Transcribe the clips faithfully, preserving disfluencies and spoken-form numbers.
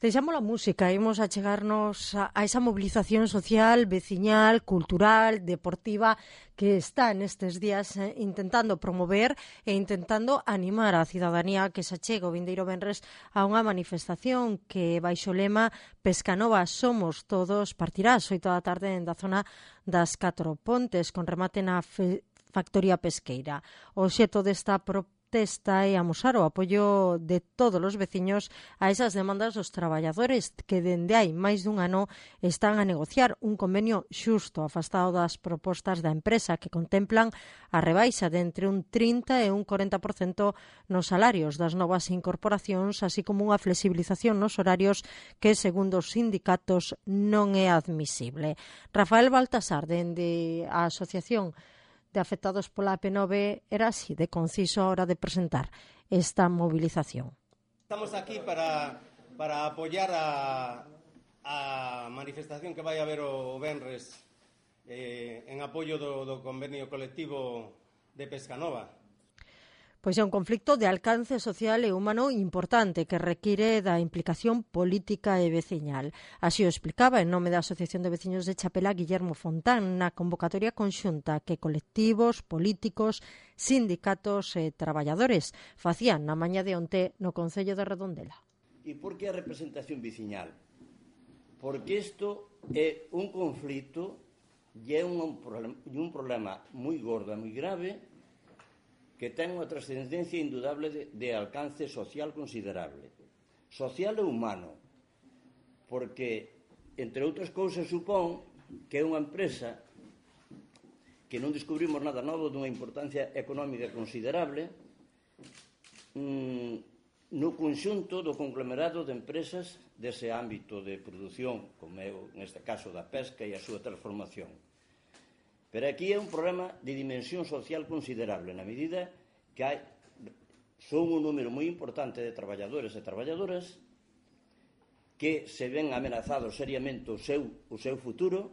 Deixamos a música, imos a chegarnos a, a esa movilización social, veciñal, cultural, deportiva que está nestes días eh, intentando promover e intentando animar a cidadanía que se achega o vindeiro venres a unha manifestación que baixo o lema Pescanova somos todos partirá ás oito da tarde en da zona das Catro Pontes con remate na fe, factoría pesqueira. O xeto desta propuesta Testa e amosar o apoio de todos os veciños a esas demandas dos traballadores que dende hai máis dun ano están a negociar un convenio xusto afastado das propostas da empresa que contemplan a rebaixa de entre un trinta e un corenta por cento nos salarios das novas incorporacións, así como unha flexibilización nos horarios que, segundo os sindicatos, non é admisible. Rafael Baltasar, dende a Asociación de afectados pola P nove, era así de conciso a hora de presentar esta movilización. Estamos aquí para, para apoiar a, a manifestación que vai haber o venres eh, en apoio do, do convenio colectivo de Pescanova. Pois é un conflicto de alcance social e humano importante que require da implicación política e veciñal. Así o explicaba en nome da Asociación de Veciños de Chapela Guillermo Fontán na convocatoria conxunta que colectivos, políticos, sindicatos e traballadores facían na mañá de onte no Concello de Redondela. E por que a representación veciñal? Porque isto é un conflito e é un, un problema moi gordo, moi grave, que ten unha trascendencia indudable de, de alcance social considerable. Social e humano, porque, entre outras cousas, supón que é unha empresa que non descubrimos nada novo dunha importancia económica considerable mmm, no conxunto do conglomerado de empresas dese ámbito de produción, como é, neste caso, da pesca e a súa transformación. Pero aquí é un problema de dimensión social considerable, na medida que hai, son un número moi importante de traballadores e traballadoras que se ven amenazados seriamente o seu, o seu futuro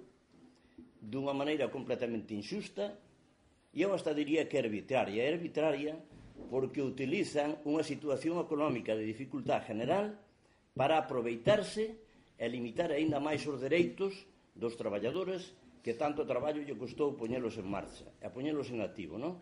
dunha maneira completamente injusta e eu hasta diría que é arbitraria. É arbitraria porque utilizan unha situación económica de dificultad general para aproveitarse e limitar aínda máis os dereitos dos traballadores que tanto traballo lle custou poñelos en marcha e poñelos en activo, non?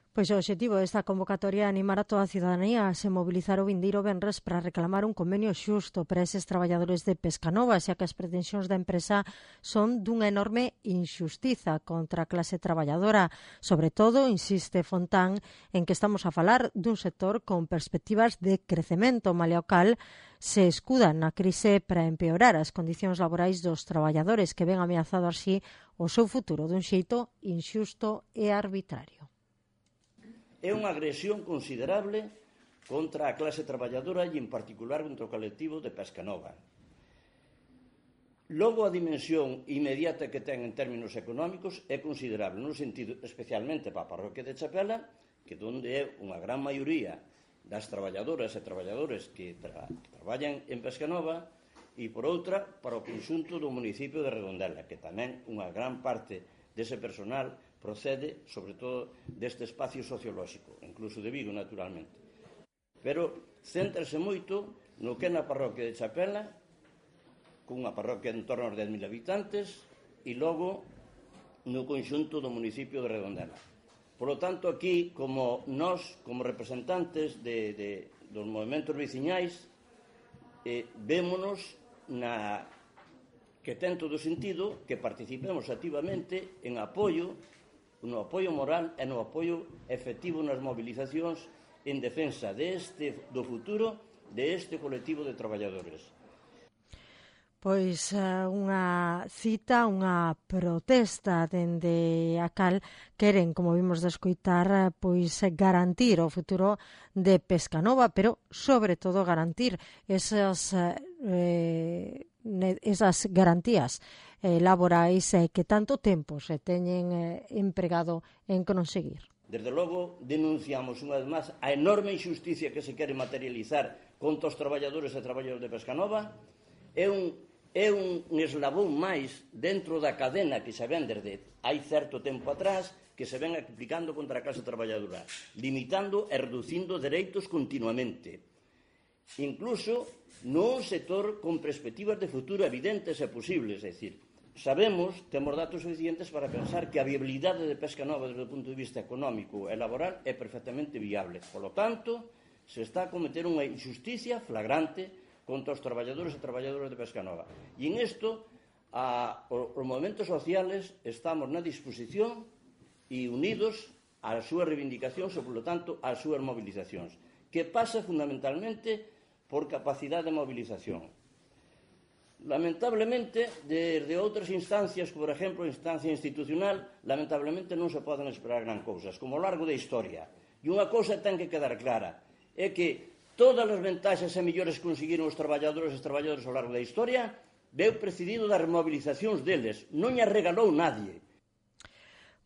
Pois o obxectivo desta convocatoria é animar a toda a cidadanía a se mobilizar o vindeiro venres para reclamar un convenio xusto para eses traballadores de Pescanova, xa que as pretensións da empresa son dunha enorme injustiza contra a clase traballadora. Sobre todo, insiste Fontán, en que estamos a falar dun sector con perspectivas de crecemento, malia o cal se escudan na crise para empeorar as condicións laborais dos traballadores que ven ameazado así o seu futuro dun xeito injusto e arbitrario. É unha agresión considerable contra a clase traballadora e, en particular, contra o colectivo de Pescanova. Logo, a dimensión inmediata que ten en términos económicos é considerable, no sentido especialmente para a parroquia de Chapela, que onde é unha gran maioría das traballadoras e traballadores que, tra que traballan en Pescanova, e, por outra, para o conxunto do municipio de Redondela, que tamén unha gran parte dese personal procede, sobre todo, deste espacio sociolóxico, incluso de Vigo, naturalmente. Pero céntrase moito no que é na parroquia de Chapela, cunha parroquia en torno aos dez mil habitantes, e logo no conxunto do municipio de Redondela. Por lo tanto, aquí, como nós, como representantes de, de, dos movimentos veciñais, eh, vémonos na que ten todo sentido que participemos activamente en apoio, no apoio moral e no apoio efectivo nas movilizacións en defensa deste, do futuro de este colectivo de traballadores. Pois unha cita, unha protesta dende a cal queren, como vimos de escoitar, pois garantir o futuro de Pescanova, pero sobre todo garantir esas eh, esas garantías eh, laborais eh, que tanto tempo se teñen eh, empregado en conseguir. Desde logo, denunciamos unha vez máis a enorme injusticia que se quere materializar contra os traballadores e traballadores de Pescanova. É un, é un eslabón máis dentro da cadena que se ven desde hai certo tempo atrás que se ven aplicando contra a clase traballadora, limitando e reducindo dereitos continuamente. incluso nun sector con perspectivas de futuro evidentes e posibles, é dicir, sabemos, temos datos suficientes para pensar que a viabilidade de Pesca Nova desde o punto de vista económico e laboral é perfectamente viable. Por lo tanto, se está a cometer unha injusticia flagrante contra os traballadores e traballadoras de Pesca Nova. E en isto, a, os movimentos sociales estamos na disposición e unidos ás súas reivindicacións e, por lo tanto, ás súas movilizacións, que pasa fundamentalmente por capacidade de movilización. Lamentablemente, desde outras instancias, por exemplo, a instancia institucional, lamentablemente non se poden esperar gran cousas, como ao largo da historia. E unha cousa ten que quedar clara, é que todas as ventaxas e mellores que conseguiron os traballadores e os traballadores ao largo da historia veu precedido das remobilizacións deles, non lle regalou nadie.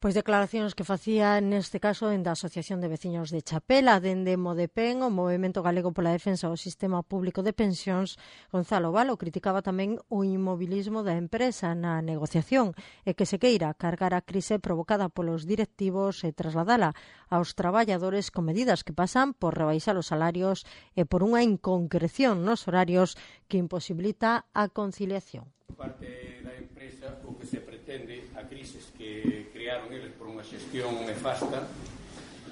Pois declaracións que facía neste caso en da Asociación de Veciños de Chapela, dende Modepen, o Movemento Galego pola Defensa do Sistema Público de Pensións. Gonzalo Valo criticaba tamén o inmobilismo da empresa na negociación e que se queira cargar a crise provocada polos directivos e trasladala aos traballadores con medidas que pasan por rebaixar os salarios e por unha inconcreción nos horarios que imposibilita a conciliación. Parte da empresa o que se pretende a crises que crearon eles por unha xestión nefasta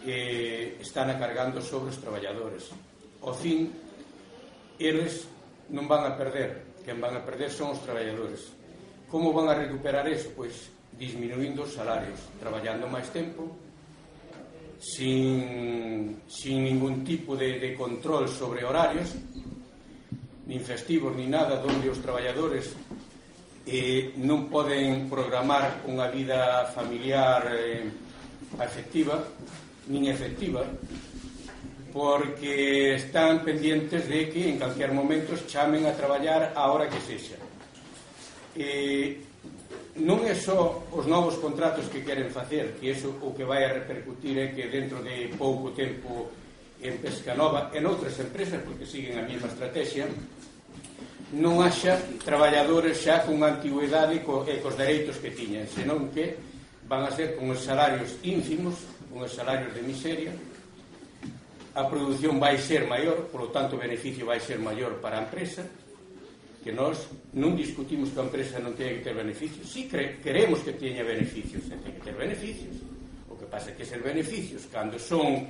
eh, están acargando sobre os traballadores. Ao fin, eles non van a perder, quen van a perder son os traballadores. Como van a recuperar eso? Pois disminuindo os salarios, traballando máis tempo, sin, sin ningún tipo de, de control sobre horarios, nin festivos, nin nada, onde os traballadores eh, non poden programar unha vida familiar eh, afectiva nin efectiva, porque están pendientes de que en calquer momento chamen a traballar a hora que sexa. Eh, non é só os novos contratos que queren facer, que iso o que vai a repercutir é que dentro de pouco tempo en Pesca Nova e noutras empresas, porque siguen a mesma estrategia, non haxa traballadores xa con antigüedade e cos dereitos que tiñan, senón que van a ser con os salarios ínfimos, con os salarios de miseria. A produción vai ser maior, polo tanto o beneficio vai ser maior para a empresa, que nós non discutimos que a empresa non teña que ter beneficios. Si queremos que teña beneficios, ten que ter beneficios. O que pasa é que esos beneficios, cando son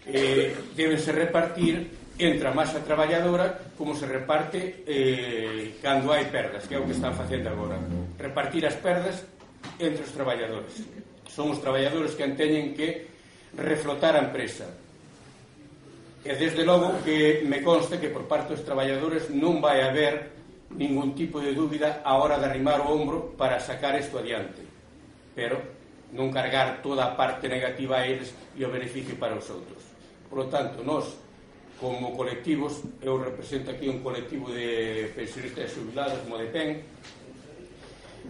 eh, deben se repartir entre a masa traballadora como se reparte eh, cando hai perdas, que é o que están facendo agora. Repartir as perdas entre os traballadores. Son os traballadores que teñen que reflotar a empresa. E desde logo que me consta que por parte dos traballadores non vai haber ningún tipo de dúbida a hora de arrimar o ombro para sacar isto adiante. Pero non cargar toda a parte negativa a eles e o beneficio para os outros. Por lo tanto, nós como colectivos, eu represento aquí un colectivo de pensionistas e xubilados como de P E N,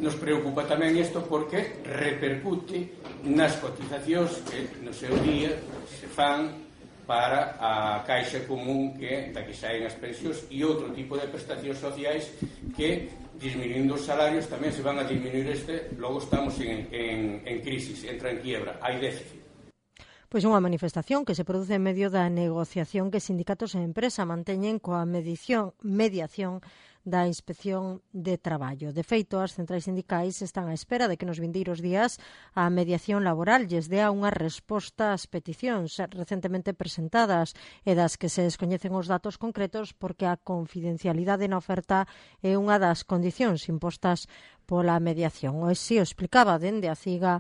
nos preocupa tamén isto porque repercute nas cotizacións que no seu día se fan para a caixa común que da que saen as pensións e outro tipo de prestacións sociais que, disminuindo os salarios, tamén se van a disminuir este, logo estamos en, en, en crisis, entra en quiebra, hai déficit. Pois unha manifestación que se produce en medio da negociación que sindicatos e empresa manteñen coa medición, mediación da Inspección de Traballo. De feito, as centrais sindicais están á espera de que nos vindeiros días a mediación laboral lles dea unha resposta ás peticións recentemente presentadas e das que se descoñecen os datos concretos porque a confidencialidade na oferta é unha das condicións impostas pola mediación. O así o explicaba dende a CIGA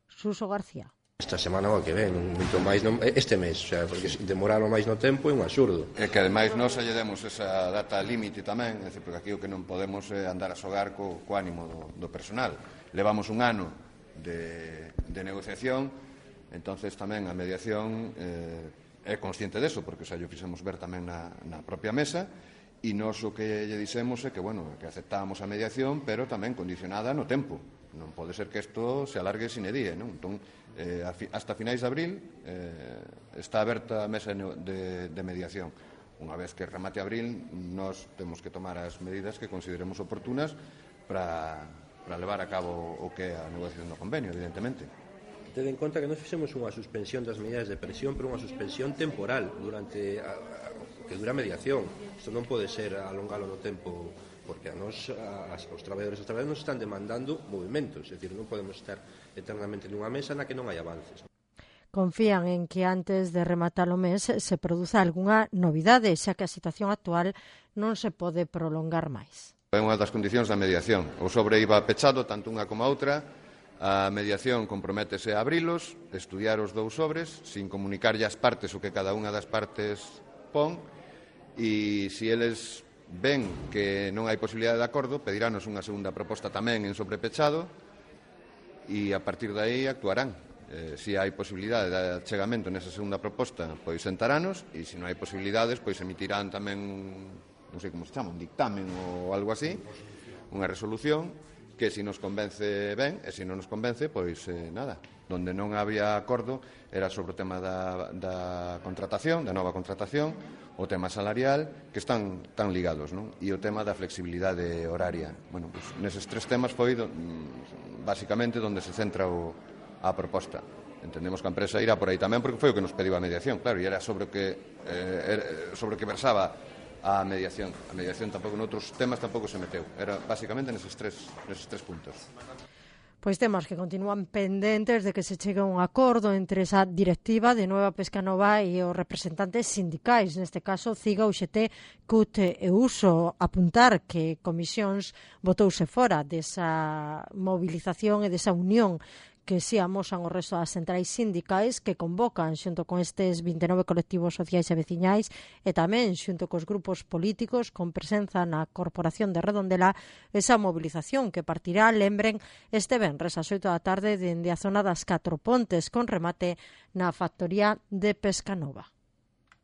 Suso García. Esta semana o que ven, moito máis no, este mes, o sea, porque demoralo máis no tempo é un absurdo. É que ademais nós lle demos esa data límite tamén, é dicir, porque aquí o que non podemos é andar a xogar co, co ánimo do, do personal. Levamos un ano de, de negociación, entonces tamén a mediación eh, é consciente deso, porque xa lle fixemos ver tamén na, na propia mesa, e nós o que lle dixemos é que, bueno, que aceptábamos a mediación, pero tamén condicionada no tempo. Non pode ser que isto se alargue sine die, non? Entón, eh, hasta finais de abril eh, está aberta a mesa de, de mediación. Unha vez que remate abril, nós temos que tomar as medidas que consideremos oportunas para, para levar a cabo o que é a negociación do convenio, evidentemente. Ten en conta que nós fixemos unha suspensión das medidas de presión, pero unha suspensión temporal durante a, a, que dura a mediación. Isto non pode ser alongalo no tempo, porque a nos, as, os traballadores e os traballadores nos están demandando movimentos, é dicir, non podemos estar eternamente nunha mesa na que non hai avances. Confían en que antes de rematar o mes se produza algunha novidade, xa que a situación actual non se pode prolongar máis. É unha das condicións da mediación. O sobre iba pechado, tanto unha como a outra. A mediación comprométese a abrilos, estudiar os dous sobres, sin comunicarlle as partes o que cada unha das partes pon, e se eles ven que non hai posibilidade de acordo, pedirános unha segunda proposta tamén en sobrepechado, e a partir de aí actuarán. Eh, se hai posibilidade de achegamento nesa segunda proposta, pois sentarános, e se non hai posibilidades, pois emitirán tamén, non sei como se chama, un dictamen ou algo así, unha resolución, que se nos convence ben, e se non nos convence, pois eh, nada. Donde non había acordo era sobre o tema da, da contratación, da nova contratación, o tema salarial, que están tan ligados, non? E o tema da flexibilidade horaria. Bueno, pois, neses tres temas foi, do, basicamente, onde se centra o a proposta. Entendemos que a empresa irá por aí tamén porque foi o que nos pediu a mediación, claro, e era sobre o que eh, sobre o que versaba a mediación. A mediación tampouco noutros temas tampouco se meteu. Era basicamente neses tres, neses tres puntos. Pois temas que continúan pendentes de que se chegue a un acordo entre esa directiva de Nueva Pescanova e os representantes sindicais, neste caso CIGA, U X T, C U T e Uso. Apuntar que Comisións botouse fora desa movilización e desa unión que si amosan o resto das centrais sindicais que convocan xunto con estes vinte e nove colectivos sociais e veciñais e tamén xunto cos grupos políticos con presenza na Corporación de Redondela esa movilización que partirá, lembren, este venres ás oito da tarde dende a zona das Catro Pontes con remate na factoría de Pescanova.